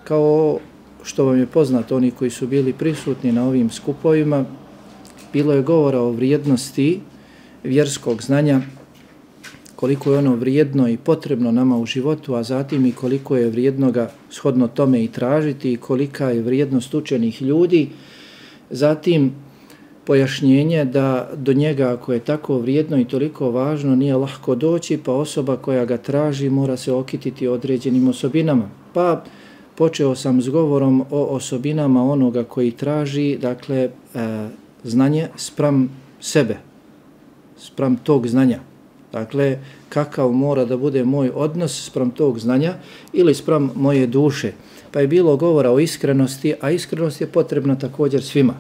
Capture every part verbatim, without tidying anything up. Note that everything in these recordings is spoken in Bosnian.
kao što vam je poznato, oni koji su bili prisutni na ovim skupovima, bilo je govora o vrijednosti vjerskog znanja, koliko je ono vrijedno i potrebno nama u životu, a zatim i koliko je vrijedno ga shodno tome i tražiti i kolika je vrijednost učenih ljudi. Zatim pojašnjenje da do njega, ako je tako vrijedno i toliko važno, nije lahko doći, pa osoba koja ga traži mora se okititi određenim osobinama. Pa počeo sam s govorom o osobinama onoga koji traži, dakle, e, znanje spram sebe, spram tog znanja. Dakle, kakav mora da bude moj odnos spram tog znanja ili spram moje duše. Pa je bilo govora o iskrenosti, a iskrenost je potrebna također svima.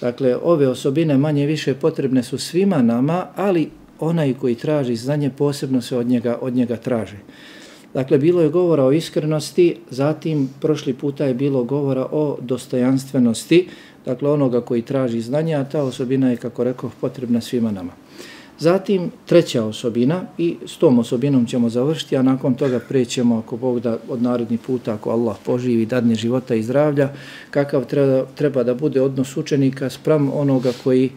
Dakle, ove osobine manje više potrebne su svima nama, ali onaj koji traži znanje posebno se od njega, od njega traži. Dakle, bilo je govora o iskrenosti, zatim prošli puta je bilo govora o dostojanstvenosti, dakle onoga koji traži znanje, a ta osobina je, kako rekao, potrebna svima nama. Zatim treća osobina, i s tom osobinom ćemo završiti, a nakon toga prećemo, ako Bog da, od naredni puta, ako Allah poživi, dadne života i zdravlja, kakav treba, treba da bude odnos učenika spram onoga koji,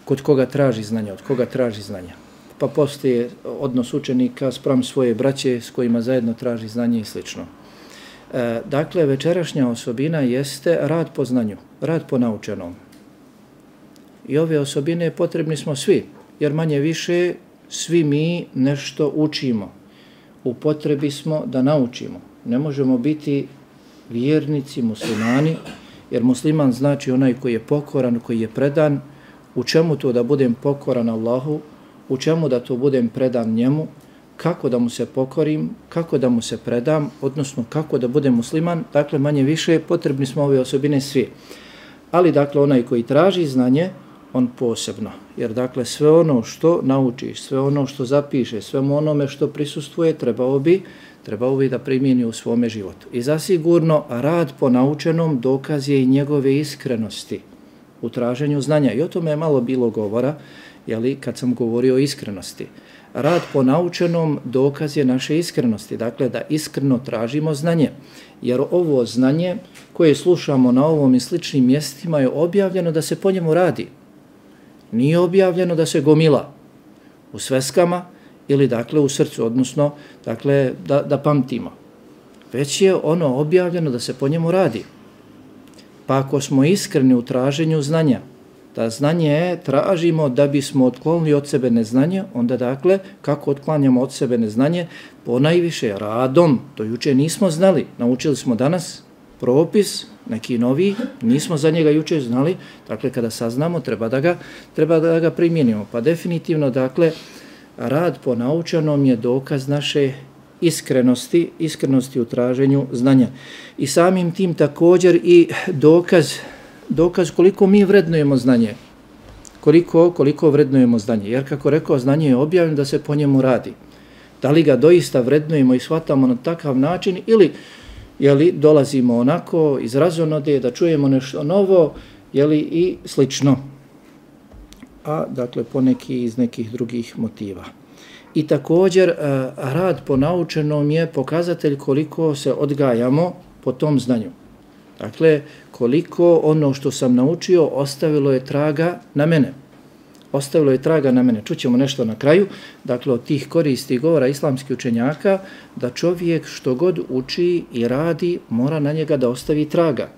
kod koga traži znanja, od koga traži znanja. Pa postoje odnos učenika spram svoje braće s kojima zajedno traži znanje i slično. E, dakle, večerašnja osobina jeste rad po znanju, rad po naučenom. I ove osobine potrebni smo svi, jer manje više svi mi nešto učimo. U potrebi smo da naučimo. Ne možemo biti vjernici, muslimani, jer musliman znači onaj koji je pokoran, koji je predan. U čemu to da budem pokoran Allahu? U čemu da to budem predan njemu? Kako da mu se pokorim? Kako da mu se predam? Odnosno, kako da budem musliman? Dakle, manje više potrebni smo ove osobine svi. Ali, dakle, onaj koji traži znanje, on posebno. Jer, dakle, sve ono što naučiš, sve ono što zapiše, sve onome što prisustvuje, trebao bi, trebao bi da primijeni u svome životu. I zasigurno, rad po naučenom dokaz je i njegove iskrenosti u traženju znanja. I o tome je malo bilo govora, jeli, kad sam govorio o iskrenosti. Rad po naučenom dokaz je naše iskrenosti, dakle da iskreno tražimo znanje. Jer ovo znanje koje slušamo na ovom i sličnim mjestima je objavljeno da se po njemu radi. Nije objavljeno da se gomila u sveskama ili dakle u srcu, odnosno dakle da, da pamtimo. Već je ono objavljeno da se po njemu radi. Pa ako smo iskreni u traženju znanja, da znanje tražimo da bismo otklonili od sebe neznanje, onda dakle, kako otklanjamo od sebe neznanje? Ponajviše radom, to juče nismo znali, naučili smo danas propis, neki novi, nismo za njega juče znali, dakle kada saznamo treba da ga, treba da ga primijenimo. Pa definitivno, dakle, rad po naučenom je dokaz naše iskrenosti, iskrenosti u traženju znanja. I samim tim također i dokaz dokaz koliko mi vrednujemo znanje. Koliko, koliko vrednujemo znanje. Jer kako rekao, znanje je objavljeno da se po njemu radi. Da li ga doista vrednujemo i shvatamo na takav način ili jeli, dolazimo onako iz razonode da čujemo nešto novo jeli, i slično. A dakle poneki iz nekih drugih motiva. I također rad po naučenom je pokazatelj koliko se odgajamo po tom znanju. Dakle, koliko ono što sam naučio ostavilo je traga na mene. Ostavilo je traga na mene. Čućemo nešto na kraju. Dakle, od tih koristi govora islamskih učenjaka da čovjek što god uči i radi mora na njega da ostavi traga.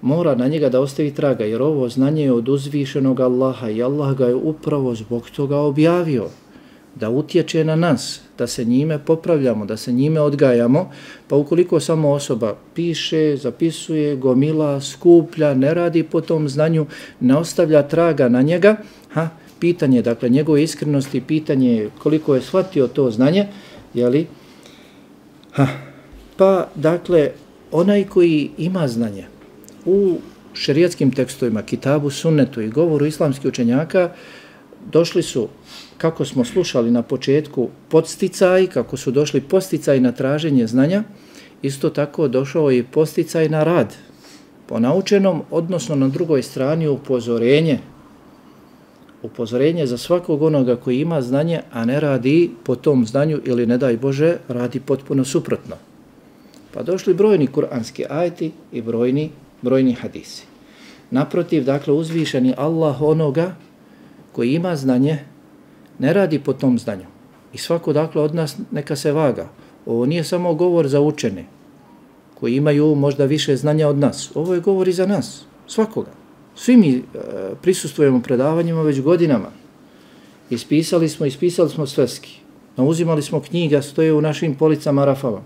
Mora na njega da ostavi traga, jer ovo znanje je od uzvišenog Allaha i Allah ga je upravo zbog toga objavio. Da utječe na nas, da se njime popravljamo, da se njime odgajamo, pa ukoliko samo osoba piše, zapisuje, gomila, skuplja, ne radi po tom znanju, ne ostavlja traga na njega, ha, pitanje, dakle, njegove iskrenosti, pitanje koliko je shvatio to znanje, jeli, ha, pa, dakle, onaj koji ima znanje u šerijatskim tekstovima, kitabu, sunnetu i govoru islamskih učenjaka, došli su, kako smo slušali na početku, podsticaj, kako su došli podsticaj na traženje znanja, isto tako došao i podsticaj na rad. Po naučenom, odnosno na drugoj strani upozorenje. Upozorenje za svakog onoga koji ima znanje, a ne radi po tom znanju ili, ne daj Bože, radi potpuno suprotno. Pa došli brojni kuranski ajeti i brojni, brojni hadisi. Naprotiv, dakle, uzvišeni Allah onoga koji ima znanje, ne radi po tom znanju. I svako, dakle, od nas neka se vaga. Ovo nije samo govor za učene, koji imaju možda više znanja od nas. Ovo je govor i za nas, svakoga. Svi mi e, prisustvujemo predavanjima već godinama. Ispisali smo, ispisali smo sveski. Nauzimali smo knjiga, stoje u našim policama rafava.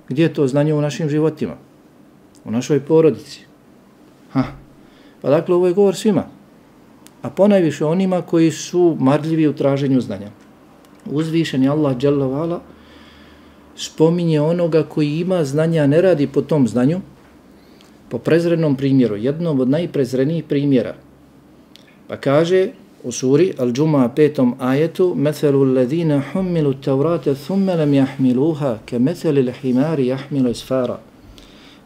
Gdje je to znanje u našim životima? U našoj porodici. Ha. Pa dakle, ovo je govor svima. A ponajviše onima koji su marljivi u traženju znanja. Uzvišeni Allah dželle ve ala spominje onoga koji ima znanja, ne radi po tom znanju, po prezrenom primjeru, jednom od najprezrenijih primjera. Pa kaže u suri Al-Džuma petom ajetu Methelu alladhina humilu tavrate thumme lam jahmiluha ke metheli l'himari jahmilu isfara.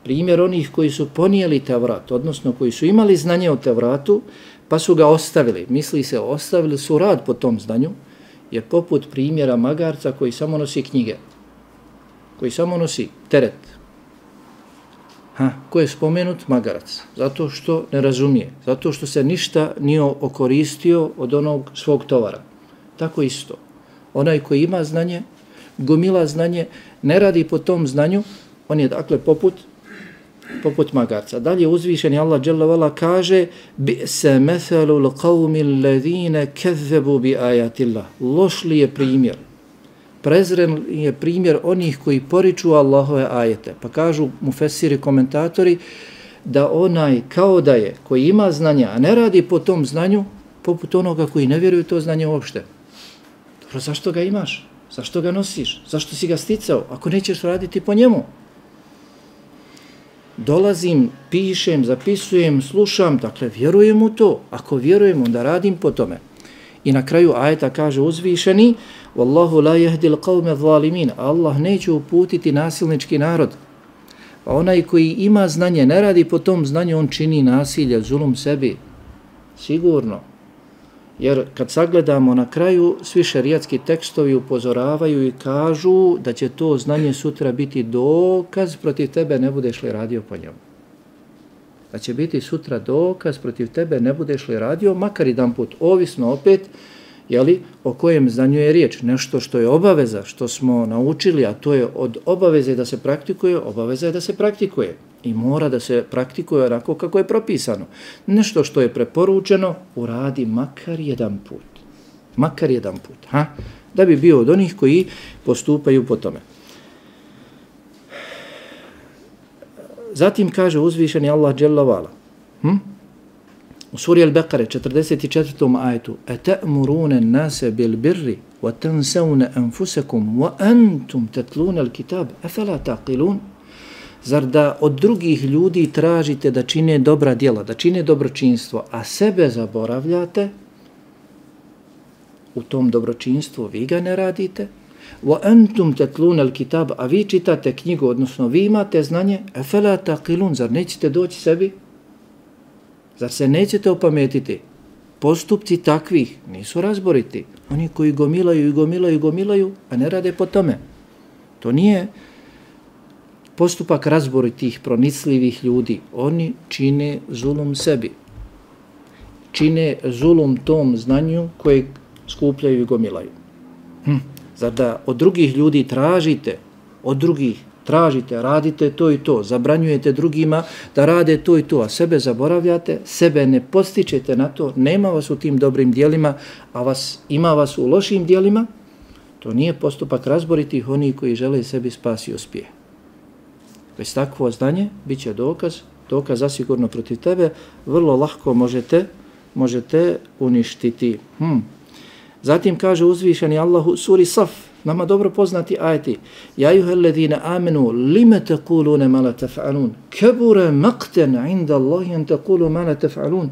Primjer onih koji su ponijeli Tevrat, odnosno koji su imali znanje o Tevratu, pa su ga ostavili. Misli se, ostavili su rad po tom znanju, je poput primjera magarca koji samo nosi knjige, koji samo nosi teret. Ha, ko je spomenut? Magarac. Zato što ne razumije, zato što se ništa nije okoristio od onog svog tovara. Tako isto. Onaj koji ima znanje, gomila znanje, ne radi po tom znanju, on je dakle poput poput magarca. Dalje uzvišeni Allah dželle ve ala kaže bi'sa mathalu al-qawmi alladhina kazzabu bi ayatillah. Loš li je primjer, prezren je primjer onih koji poriču Allahove ajete. Pa kažu mufesiri, komentatori, da onaj kao da je, koji ima znanja, a ne radi po tom znanju, poput onoga koji ne vjeruje to znanje uopšte. Dobro, zašto ga imaš? Zašto ga nosiš? Zašto si ga sticao? Ako nećeš raditi po njemu. Dolazim, pišem, zapisujem, slušam, dakle vjerujem u to. Ako vjerujem, onda radim po tome. I na kraju ajeta kaže uzvišeni Wallahu la yahdi al-qawme zalimin. Allah neće uputiti nasilnički narod. Pa onaj koji ima znanje, ne radi po tom znanju, on čini nasilje, zulum sebi. Sigurno. Jer kad sagledamo na kraju, svi šerijatski tekstovi upozoravaju i kažu da će to znanje sutra biti dokaz protiv tebe, ne budeš li radio po njemu. Da će biti sutra dokaz protiv tebe, ne budeš li radio, makar jedan put, ovisno opet, jeli, o kojem znanju je riječ. Nešto što je obaveza, što smo naučili, a to je od obaveze da se praktikuje, obaveza je da se praktikuje. I mora da se praktikuje onako kako je propisano. Nešto što je preporučeno, uradi makar jedan put. Makar jedan put. Ha? Da bi bio od onih koji postupaju po tome. Zatim kaže uzvišeni Allah dželle ve ala. Hm? U suri Al-Baqara četrdeset četvrtom ajetu Ata'muruna an-nasa bil birri wa tansawna anfusakum wa antum tatluna al-kitab afala taqilun. Zar da od drugih ljudi tražite da čine dobra djela, da čine dobročinstvo, a sebe zaboravljate? U tom dobročinstvu vi ga ne radite. Wa antum tatluna al-kitab, a vi čitate knjigu, odnosno vi imate znanje, afala taqilun, zar nećete doći sebi? Zar se nećete opametiti? Postupci takvih nisu razboriti. Oni koji gomilaju i gomilaju i gomilaju, a ne rade po tome. To nije postupak razboritih, pronicljivih ljudi. Oni čine zulum sebi. Čine zulum tom znanju koje skupljaju i gomilaju. Hm. Zar da od drugih ljudi tražite, od drugih tražite, radite to i to, zabranjujete drugima da rade to i to, a sebe zaboravljate, sebe ne postičete na to, nema vas u tim dobrim dijelima, a vas, ima vas u lošim dijelima, to nije postupak razboritih onih koji žele sebi spas i uspjeh. Bez takvo znanje bit će dokaz, dokaz zasigurno protiv tebe, vrlo lahko možete, možete uništiti. Hmm. Zatim kaže uzvišeni Allahu suri Saf, nama dobro poznati ajeti. Ja ayyuhalladhina amanu lima taquluna ma la taf'alun? Kabura maqtan 'inda Allahi an taqulu ma la taf'alun.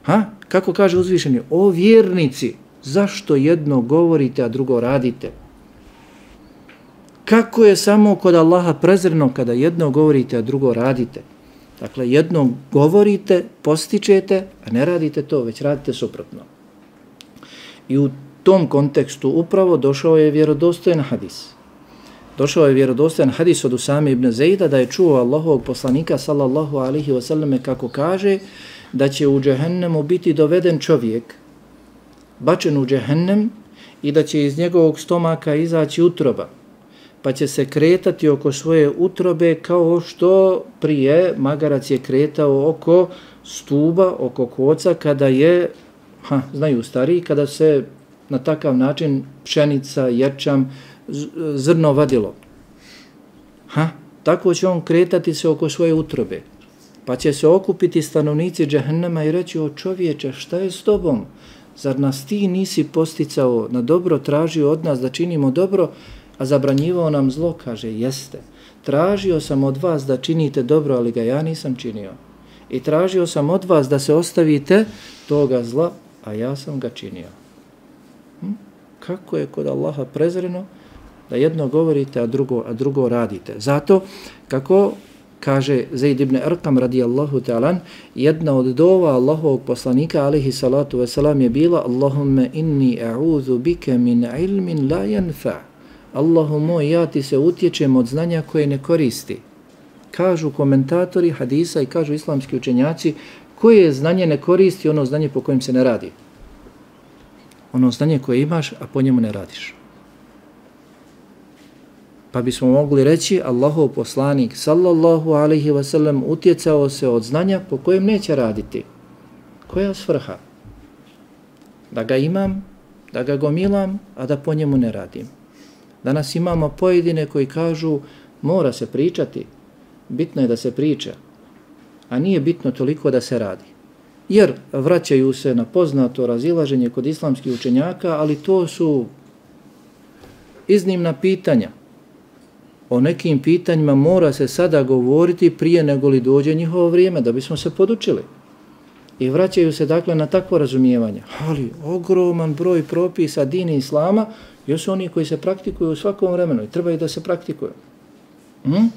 Ha? Kako kaže uzvišeni? O vjernici, zašto jedno govorite, a drugo radite? Kako je samo kod Allaha prezreno kada jedno govorite, a drugo radite? Dakle, jedno govorite, postičete, a ne radite to, već radite suprotno. I u tom kontekstu upravo došao je vjerodostojan hadis. Došao je vjerodostojan hadis od Usame ibn Zejda da je čuo Allahovog poslanika sallallahu alaihi wasallam kako kaže da će u džehennemu biti doveden čovjek, bačen u džehennem i da će iz njegovog stomaka izaći utroba, pa će se kretati oko svoje utrobe kao što prije magarac je kretao oko stuba, oko koca kada je, ha, znaju stariji, kada se na takav način pšenica, ječam, zrno vadilo. Ha, tako će on kretati se oko svoje utrobe. Pa će se okupiti stanovnici džehennema i reći: o čovječe, šta je s tobom? Zar nas ti nisi posticao na dobro, tražio od nas da činimo dobro, a zabranjivao nam zlo? Kaže: jeste. Tražio sam od vas da činite dobro, ali ga ja nisam činio. I tražio sam od vas da se ostavite toga zla, a ja sam ga činio. Hm? Kako je kod Allaha prezreno da jedno govorite, a drugo, a drugo radite. Zato, kako kaže Zaid ibn Arqam radijallahu ta'alan, jedna od dova Allahovog poslanika alaihi salatu wasalam je bila: Allahumme inni a'udhu bike min ilmin la yanfa. Allahu moj, ja ti se utječem od znanja koje ne koristi. Kažu komentatori hadisa i kažu islamski učenjaci, koje znanje ne koristi? Ono znanje po kojem se ne radi. Ono znanje koje imaš, a po njemu ne radiš. Pa bismo mogli reći, Allahov poslanik sallallahu alaihi wasallam utjecao se od znanja po kojem neće raditi. Koja svrha? Da ga imam, da ga gomilam, a da po njemu ne radim. Danas imamo pojedine koji kažu: mora se pričati, bitno je da se priča, a nije bitno toliko da se radi. Jer vraćaju se na poznato razilaženje kod islamskih učenjaka, ali to su iznimna pitanja. O nekim pitanjima mora se sada govoriti prije nego li dođe njihovo vrijeme, da bismo se podučili. I vraćaju se dakle na takvo razumijevanje. Ali ogroman broj propisa dini islama još su oni koji se praktikuju u svakom vremenu i trebaju da se praktikuju. Hm?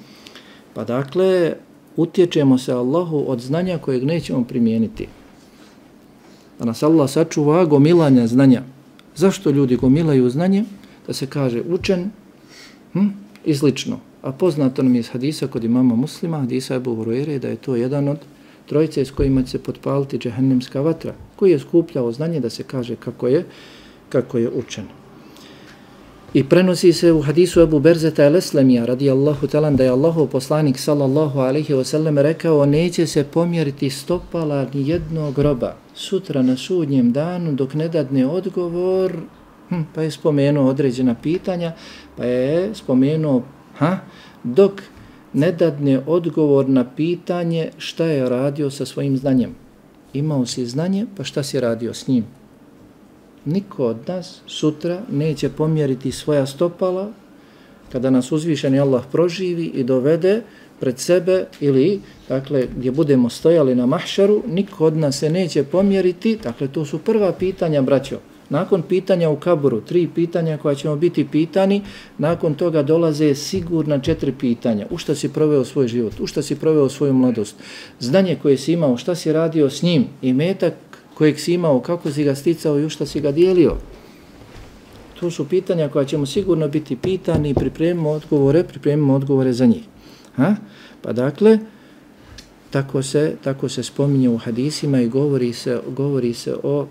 Pa dakle, utječemo se Allahu od znanja kojeg nećemo primijeniti. Da nas Allah sačuva gomilanja znanja. Zašto ljudi gomilaju znanje? Da se kaže učen, hm? i slično. A poznato nam je iz hadisa kod imama Muslima, hadisa Ebu Hurajre, da je to jedan od trojice s kojima će se potpaliti džehennemska vatra, koji je skupljao znanje da se kaže kako je, kako je učen. I prenosi se u hadisu Ebu Berzeta el-Eslemija radijallahu talan da je Allahov poslanik sallallahu alaihi wasallam rekao: neće se pomjeriti stopala ni jednog groba sutra na sudnjem danu dok ne dadne odgovor. Hm, pa je spomenuo određena pitanja, pa je spomenuo ha, dok ne dadne odgovor na pitanje šta je radio sa svojim znanjem. Imao si znanje, pa šta si radio s njim? Niko od nas sutra neće pomjeriti svoja stopala kada nas uzvišeni Allah proživi i dovede pred sebe ili, dakle, gdje budemo stojali na mahšaru, niko od nas se neće pomjeriti. Dakle, to su prva pitanja, braćo. Nakon pitanja u kaburu, tri pitanja koja ćemo biti pitani, nakon toga dolaze sigurna četiri pitanja. U šta si proveo svoj život, u šta si proveo svoju mladost, znanje koje si imao, šta si radio s njim, i metak kojeg si imao, kako si ga sticao i u šta si ga dijelio. To su pitanja koja ćemo sigurno biti pitani i pripremimo odgovore, pripremimo odgovore za njih. Ha? Pa dakle, tako se, tako se spominje u hadisima i govori se, govori se o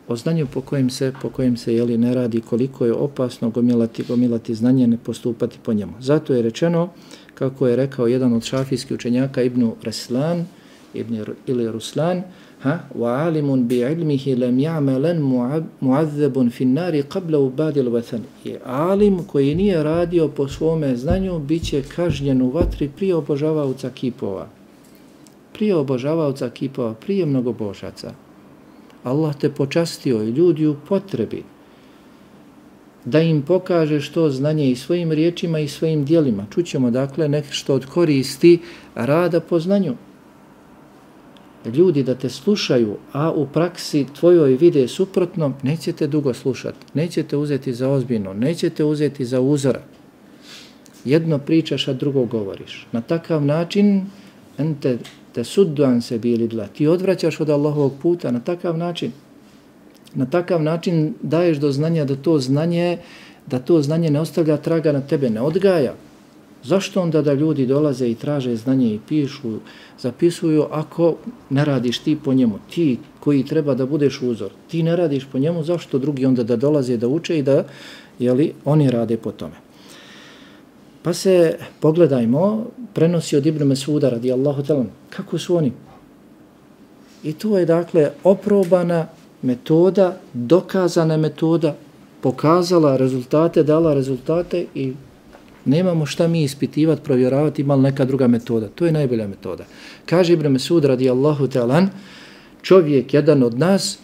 o znanju po kojem se, po kojem se jeli, ne radi, koliko je opasno gomilati, gomilati znanje, ne postupati po njemu. Zato je rečeno, kako je rekao jedan od šafijskih učenjaka Ibn Raslan, Ibn ili Ruslan, ha, wa alimun bi ilmihi lam ya'malan mu'azzabun fi an-nari qabla ubadi al-wathan. Je alim koji nije radio po svome znanju biće kažnjen u vatri prije obožavaoca kipova. Prije obožavaoca kipova, prije mnogobožaca. Allah te počastio i ljudi u potrebi da im pokaže što znanje i svojim riječima i svojim dijelima. Čućemo dakle nešto od koristi rada po znanju. Ljudi da te slušaju, a u praksi tvojoj vide suprotno, nećete dugo slušati, nećete uzeti za ozbiljno, nećete uzeti za uzora. Jedno pričaš, a drugo govoriš. Na takav način ente te sudduan se bili dla. Ti odvraćaš od Allahovog puta na takav način. Na takav način daješ do znanja da to znanje da to znanje ne ostavlja traga na tebe, ne odgaja. Zašto onda da ljudi dolaze i traže znanje i pišu, zapisuju, ako ne radiš ti po njemu? Ti koji treba da budeš uzor, ti ne radiš po njemu, zašto drugi onda da dolaze da uče i da, jeli, oni rade po tome? Pa se, pogledajmo, prenosi od Ibn Mesuda radijallahu ta'ala, kako su oni? I to je dakle oprobana metoda, dokazana metoda, pokazala rezultate, dala rezultate i nemamo šta mi ispitivati, provjeravati, ima li neka druga metoda. To je najbolja metoda. Kaže Ibn Mesud radijallahu ta'ala, čovjek jedan od nas,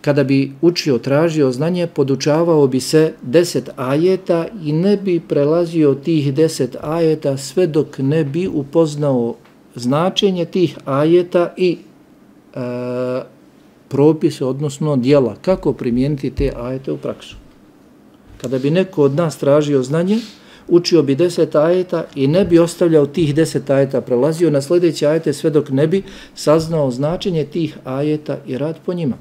kada bi učio, tražio znanje, podučavao bi se deset ajeta i ne bi prelazio tih deset ajeta sve dok ne bi upoznao značenje tih ajeta i e, propise, odnosno djela, kako primijeniti te ajete u praksu. Kada bi neko od nas tražio znanje, učio bi deset ajeta i ne bi ostavljao tih deset ajeta, prelazio na sljedeće ajete sve dok ne bi saznao značenje tih ajeta i rad po njima.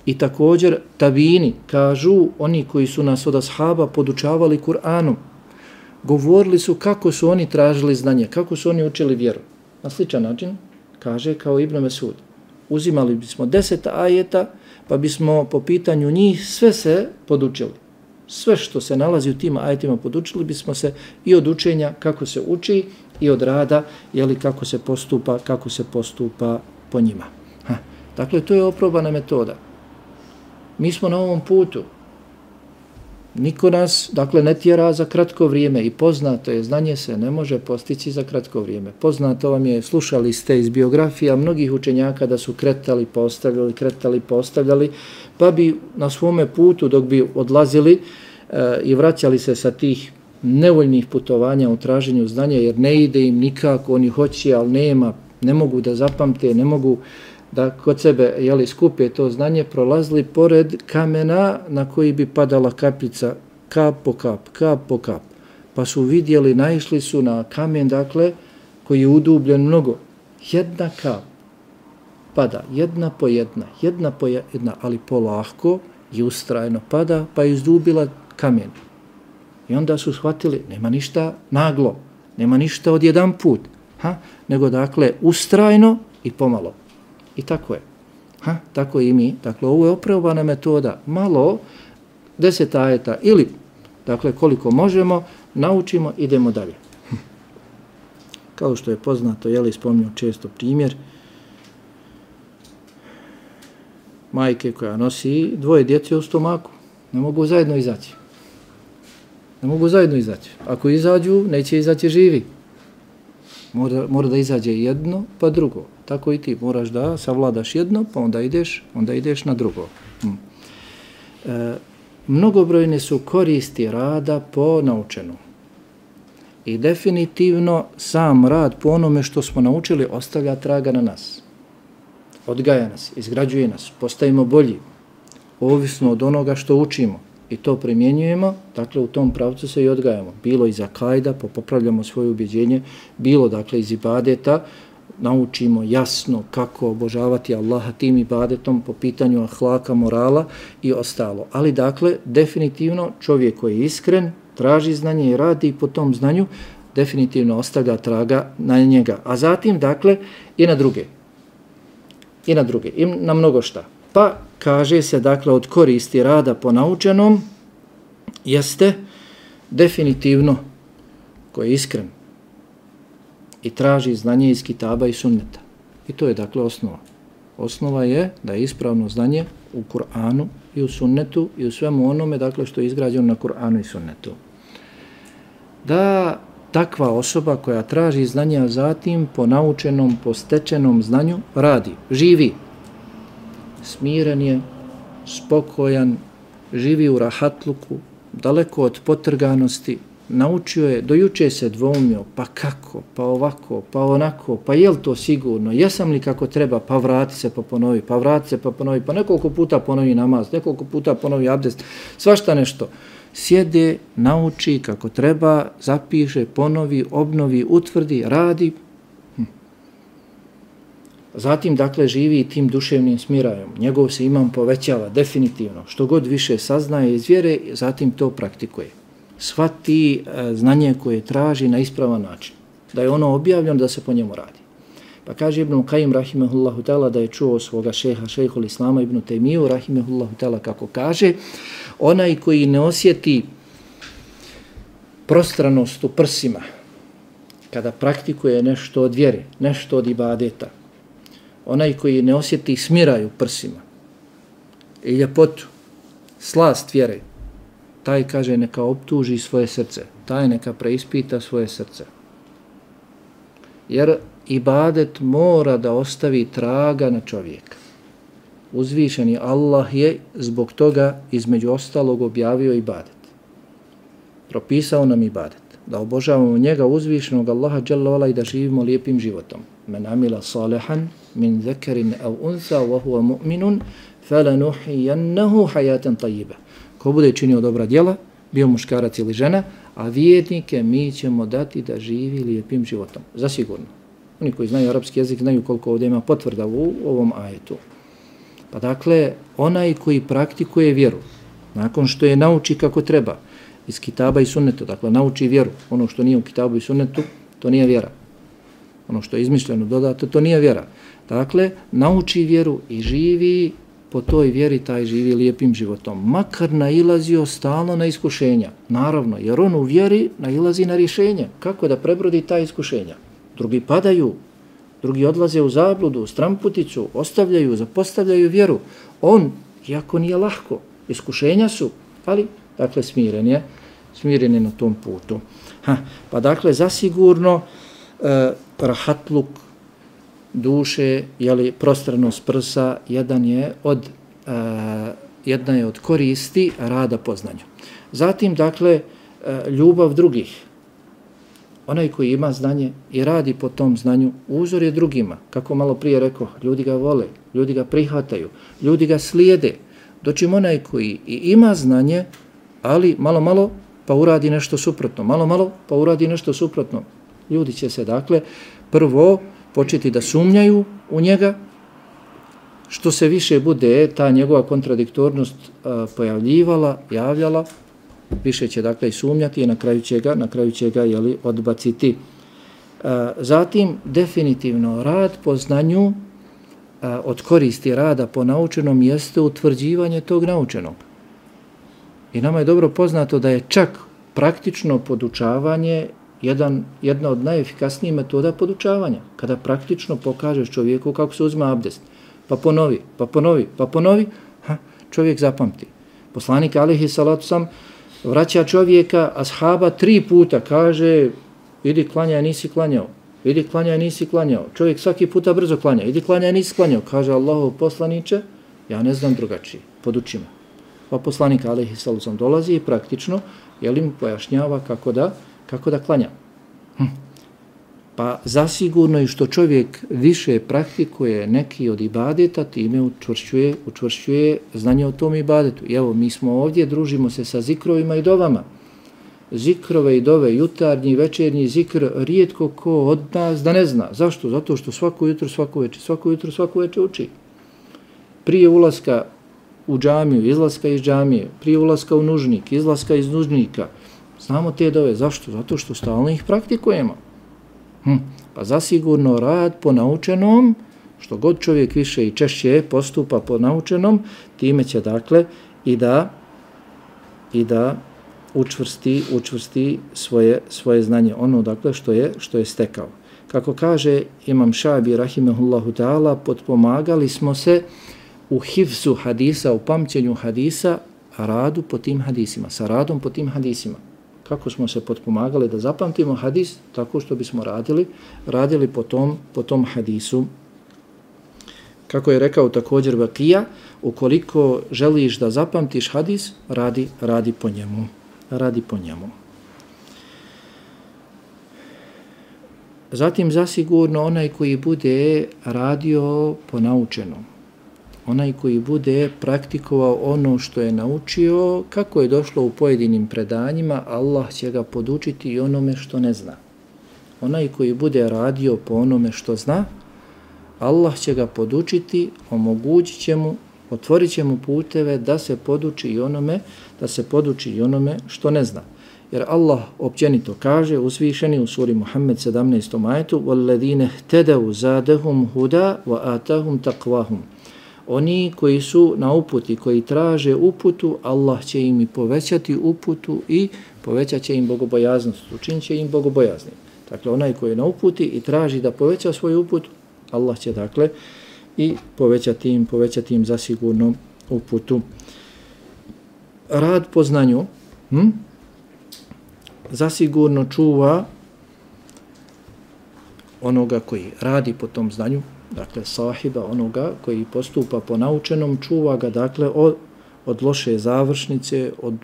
I također tabini, kažu oni koji su nas od ashaba podučavali Kur'anom, govorili su kako su oni tražili znanje, kako su oni učili vjeru. Na sličan način, kaže kao Ibn Mesud, uzimali bismo deset ajeta, pa bismo po pitanju njih sve se podučili. Sve što se nalazi u tim ajetima podučili bismo se i od učenja kako se uči i od rada, jeli kako se postupa, kako se postupa po njima. Ha. Dakle, to je oprobana metoda. Mi smo na ovom putu. Niko nas, dakle, ne tjera za kratko vrijeme i poznato je, znanje se ne može postići za kratko vrijeme. Poznato vam je, slušali ste iz biografija mnogih učenjaka da su kretali, postavljali, kretali, postavljali, pa bi na svome putu dok bi odlazili e, i vraćali se sa tih nevoljnih putovanja u traženju znanja, jer ne ide im nikako, oni hoće, ali nema, ne mogu da zapamte, ne mogu da kod sebe jeli, skupe to znanje, prolazili pored kamena na koji bi padala kapljica, kap po kap, kap po kap. Pa su vidjeli, naišli su na kamen, dakle, koji je udubljen mnogo. Jedna kap pada, jedna po jedna, jedna po jedna, ali polahko i ustrajno pada, pa je izdubila kamen. I onda su shvatili, nema ništa naglo, nema ništa od jedan put, ha? Nego, dakle, ustrajno i pomalo. I tako je. Ha? Tako i mi. Dakle, ovo je oprobana metoda. Malo, deset ajeta ili, dakle, koliko možemo, naučimo, idemo dalje. Kao što je poznato, jeli, spomnio često primjer, majke koja nosi dvoje djece u stomaku. Ne mogu zajedno izaći. Ne mogu zajedno izaći. Ako izađu, neće izaći živi. Mora, mora da izađe jedno, pa drugo. Tako i ti moraš da savladaš jedno, pa onda ideš, onda ideš na drugo. Hm. E, mnogobrojne su koristi rada po naučenu. I definitivno sam rad po onome što smo naučili ostavlja traga na nas. Odgaja nas, izgrađuje nas, postajemo bolji, ovisno od onoga što učimo. I to primjenjujemo, dakle u tom pravcu se i odgajamo. Bilo iz akajda, pa popravljamo svoje ubjeđenje, bilo dakle iz ibadeta, naučimo jasno kako obožavati Allaha tim ibadetom po pitanju ahlaka, morala i ostalo. Ali dakle, definitivno čovjek koji je iskren, traži znanje i radi po tom znanju, definitivno ostavlja traga na njega. A zatim, dakle, i na druge. I na druge. I na mnogo šta. Pa kaže se, dakle, od koristi rada po naučenom jeste definitivno ko je iskren i traži znanje iz kitaba i sunneta. I to je, dakle, osnova. Osnova je da je ispravno znanje u Kur'anu i u sunnetu i u svemu onome, dakle, što je izgrađeno na Kur'anu i sunnetu. Da takva osoba koja traži znanje, a zatim po naučenom, po stečenom znanju radi, živi. Smiren je, spokojan, živi u rahatluku, daleko od potrganosti, naučio je, dojuče se dvoumio, pa kako, pa ovako, pa onako, pa je li to sigurno, jesam li kako treba, pa vrati se pa ponovi, pa vrati se pa ponovi, pa nekoliko puta ponovi namaz, nekoliko puta ponovi abdest, svašta nešto. Sjede, nauči kako treba, zapiše, ponovi, obnovi, utvrdi, radi. Hm. Zatim, dakle, živi tim duševnim smirajom. Njegov se imam povećava definitivno. Što god više saznaje iz vjere, zatim to praktikuje. Shvati e, znanje koje traži na ispravan način. Da je ono objavljeno, da se po njemu radi. Pa kaže Ibn Kajim, rahimehullahu ta'ala, da je čuo svoga šeha, šejhul Islama Ibn Taymiju, rahimehullahu ta'ala, kako kaže, onaj koji ne osjeti prostranost u prsima, kada praktikuje nešto od vjere, nešto od ibadeta, onaj koji ne osjeti smiraj u prsima i ljepotu, slast vjere, taj, kaže, neka optuži svoje srce, taj neka preispita svoje srce. Jer ibadet mora da ostavi traga na čovjeka. Uzvišeni Allah je zbog toga između ostalog objavio ibadet. Propisao nam ibadet. Da obožavamo njega uzvišenog Allaha dželle vala i da živimo lijepim životom. Men amila salihan min zakarin aw untha wa huwa mu'minun falanuhyiyannahu hayatan tayyiba. Ko bude činio dobra djela, bio muškarac ili žena, a vjernike mi ćemo dati da živi lijepim životom. Zasigurno. Oni koji znaju arapski jezik znaju koliko ovdje ima potvrda u ovom ajetu. Pa dakle, onaj koji praktikuje vjeru, nakon što je nauči kako treba, iz kitaba i sunneta, dakle, nauči vjeru, ono što nije u kitabu i sunnetu, to nije vjera. Ono što je izmišljeno, dodato, to nije vjera. Dakle, nauči vjeru i živi po toj vjeri, taj živi lijepim životom. Makar nailazio stalno na iskušenja. Naravno, jer on u vjeri nailazi na rješenje. Kako da prebrodi ta iskušenja? Drugi padaju, drugi odlaze u zabludu, stramputicu, ostavljaju, zapostavljaju vjeru. On, iako nije lahko, iskušenja su, ali, dakle, smiren je, smiren je na tom putu. Ha, pa dakle, zasigurno, eh, rahatluk duše, jeli, prostranost prsa, jedan je od, eh, jedna je od koristi rada po znanju. Zatim, dakle, eh, ljubav drugih. Onaj koji ima znanje i radi po tom znanju, uzor je drugima. Kako malo prije rekao, ljudi ga vole, ljudi ga prihvataju, ljudi ga slijede. Dočim onaj koji i ima znanje, ali malo, malo pa uradi nešto suprotno, malo, malo pa uradi nešto suprotno. Ljudi će se, dakle, prvo početi da sumnjaju u njega, što se više bude ta njegova kontradiktornost a, pojavljivala, javljala, više će, dakle, i sumnjati i na kraju će ga, na kraju će ga, jeli, odbaciti. A, zatim, definitivno, rad po znanju, a, od koristi rada po naučenom jeste utvrđivanje tog naučenog. I nama je dobro poznato da je čak praktično podučavanje jedan, jedna od najefikasnijih metoda podučavanja. Kada praktično pokažeš čovjeku kako se uzima abdest, pa ponovi, pa ponovi, pa ponovi, ha, čovjek zapamti. Poslanik alejhi salatu sam vraća čovjeka, ashaba, tri puta, kaže, idi klanjaj, nisi klanjao, idi klanjaj, nisi klanjao. Čovjek svaki puta brzo klanja, idi klanjaj, nisi klanjao. Kaže Allahov poslaniče, ja ne znam drugačije, poduči me. Pa poslanik alejhi salatu sam dolazi i praktično, jel im pojašnjava kako da, kako da klanja. Hm. Pa zasigurno i što čovjek više praktikuje neki od ibadeta, time učvršćuje, učvršćuje znanje o tom ibadetu. I evo, mi smo ovdje, družimo se sa zikrovima i dovama. Zikrove i dove, jutarnji, večernji zikr, rijetko ko od nas da ne zna. Zašto? Zato što svako jutro, svako večer, svako jutro, svako večer uči. Prije ulaska u džamiju, izlaska iz džamije, prije ulaska u nužnik, izlaska iz nužnika. Znamo te dove. Zašto? Zato što stalno ih praktikujemo. Hm. Pa zasigurno rad po naučenom, što god čovjek više i češće postupa po naučenom, time će, dakle, i da i da učvrsti, učvrsti svoje, svoje znanje, ono, dakle, što je, što je stekao. Kako kaže Imam Šabi, rahimehullahu ta'ala, potpomagali smo se u hifzu hadisa, u pamćenju hadisa, radu po tim hadisima, sa radom po tim hadisima. Kako smo se potpomagali da zapamtimo hadis, tako što bismo radili, radili po tom, po tom hadisu. Kako je rekao također Vakija, ukoliko želiš da zapamtiš hadis, radi, radi po njemu. Radi po njemu. Zatim zasigurno onaj koji bude radio po naučenom, onaj koji bude praktikovao ono što je naučio, kako je došlo u pojedinim predanjima, Allah će ga podučiti i onome što ne zna. Onaj koji bude radio po onome što zna, Allah će ga podučiti, omogućit će mu, otvorit će mu puteve da se poduči i onome, da se poduči i onome što ne zna. Jer Allah općenito kaže, uzvišeni u suri Muhammed sedamnaestom ajetu: وَالَّذِينَ اهْتَدَوْا زَادَهُمْ هُدًى وَآتَاهُمْ تَقْوَاهُمْ. Oni koji su na uputi, koji traže uputu, Allah će im i povećati uputu i povećat će im bogobojaznost, učinit će im bogobojaznim. Dakle, onaj koji je na uputi i traži da poveća svoju uputu, Allah će dakle i povećati im, povećati im zasigurno uputu. Rad po znanju hm, zasigurno čuva onoga koji radi po tom znanju, dakle sahiba, onoga koji postupa po naučenom, čuva ga dakle od, od loše završnice, od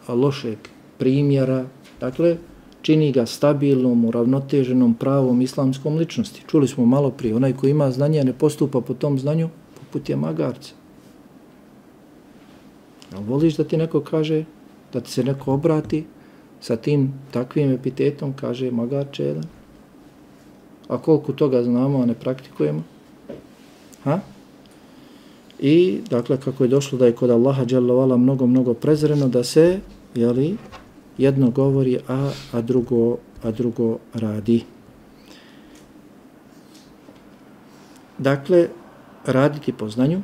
lošeg primjera, dakle čini ga stabilnom, uravnoteženom, pravom islamskom ličnosti. Čuli smo malo prije, onaj koji ima znanje, a ne postupa po tom znanju, poput je magarca. A voliš da ti neko kaže, da ti se neko obrati sa tim takvim epitetom, kaže magarče jedan? A koliko toga znamo, a ne praktikujemo? Ha? I, dakle, kako je došlo da je kod Allaha dželle ve ala mnogo, mnogo prezreno da se, jeli, jedno govori, a, a, drugo, a drugo radi. Dakle, raditi po znanju,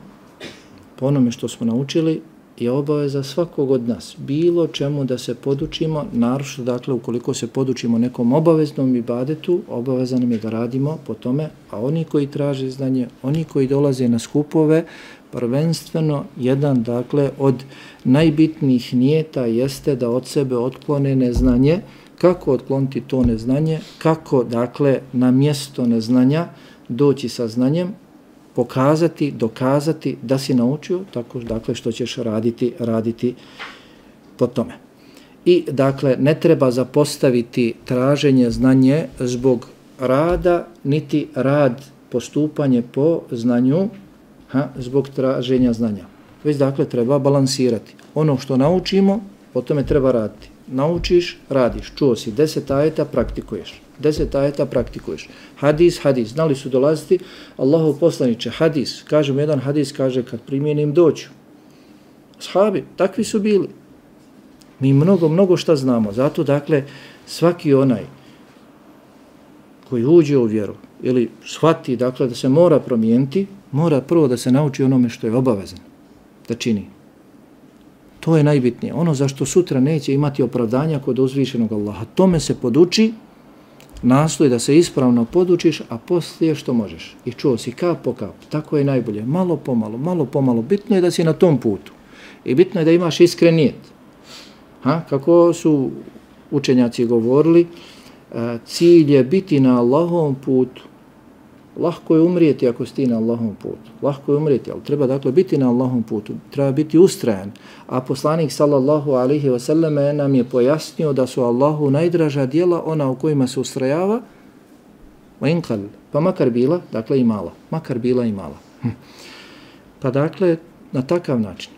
po onome što smo naučili, je obaveza svakog od nas. Bilo čemu da se podučimo, naročito, dakle, ukoliko se podučimo nekom obaveznom ibadetu, obaveza nam je da radimo po tome, a oni koji traže znanje, oni koji dolaze na skupove, prvenstveno jedan, dakle, od najbitnijih nijeta jeste da od sebe otklone neznanje. Kako otkloniti to neznanje? Kako, dakle, na mjesto neznanja doći sa znanjem, pokazati, dokazati da si naučio, tako, dakle, što ćeš raditi, raditi po tome. I, dakle, ne treba zapostaviti traženje znanje zbog rada, niti rad, postupanje po znanju, ha, zbog traženja znanja. Već, dakle, treba balansirati. Ono što naučimo, po tome treba raditi. Naučiš, radiš. Čuo si deset ajeta, praktikuješ. Deset ajeta praktikuješ. Hadis, hadis. Znali su dolaziti Allahov poslaniče. Hadis. Kažem, jedan hadis kaže kad primjenim doću. Ashabi, takvi su bili. Mi mnogo, mnogo šta znamo. Zato, dakle, svaki onaj koji uđe u vjeru ili shvati, dakle, da se mora promijeniti, mora prvo da se nauči onome što je obavezan da čini. To je najbitnije. Ono zašto sutra neće imati opravdanja kod uzvišenog Allaha. Tome se poduči, nastoji da se ispravno podučiš, a poslije što možeš. I čuo si kap po kap. Tako je najbolje. Malo pomalo, malo pomalo. Bitno je da si na tom putu. I bitno je da imaš iskren nijet. Ha? Kako su učenjaci govorili, cilj je biti na Allahovom putu. Lahko je umrijeti ako si ti na Allahovom putu. Lahko je umrijeti, ali treba, dakle, biti na Allahovom putu. Treba biti ustrajan. A poslanik sallallahu alaihi wa sallam nam je pojasnio da su Allahu najdraža djela ona u kojima se ustrajava, pa makar bila, dakle, i mala. Makar bila i mala. Hm. Pa, dakle, na takav način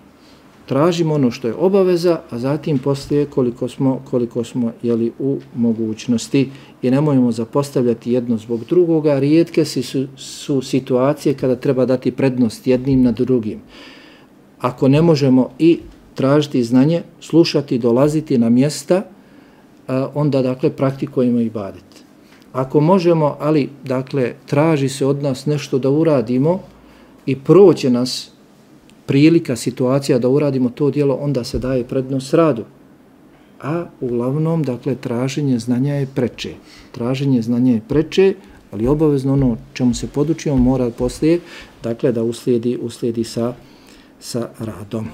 tražimo ono što je obaveza, a zatim poslije koliko smo, koliko smo jeli, u mogućnosti i nemojmo zapostavljati jedno zbog drugoga. Rijetke su, su situacije kada treba dati prednost jednim nad drugim. Ako ne možemo i tražiti znanje, slušati, dolaziti na mjesta, onda, dakle, praktikujemo ibadet. Ako možemo, ali, dakle, traži se od nas nešto da uradimo i proće nas prilika, situacija da uradimo to djelo, onda se daje prednost radu. A uglavnom, dakle, traženje znanja je preče. Traženje znanja je preče, ali obavezno ono čemu se podučimo mora poslije, dakle, da uslijedi, uslijedi sa, sa radom.